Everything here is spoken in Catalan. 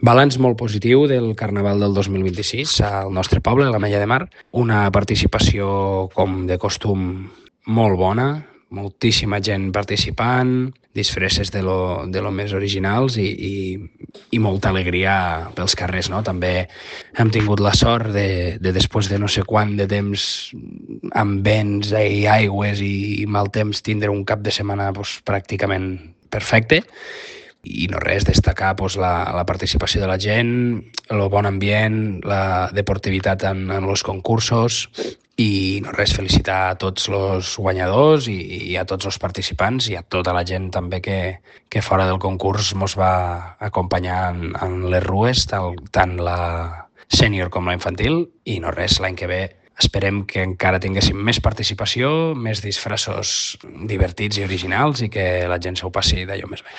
Balanç molt positiu del Carnaval del 2026 al nostre poble, a l'Ametlla de Mar. Una participació, com de costum, molt bona, moltíssima gent participant, disfresses de lo més originals i molta alegria pels carrers, no? També hem tingut la sort de després de no sé quant de temps amb vents i aigües i mal temps, tindre un cap de setmana pràcticament perfecte. I no res, destacar la participació de la gent, el bon ambient, la deportivitat en els concursos i no res, felicitar a tots els guanyadors i a tots els participants i a tota la gent també que fora del concurs mos va acompanyar en les rues, tant la sènior com la infantil, i no res, l'any que ve esperem que encara tinguéssim més participació, més disfressos divertits i originals i que la gent s'ho passi d'allò més bé.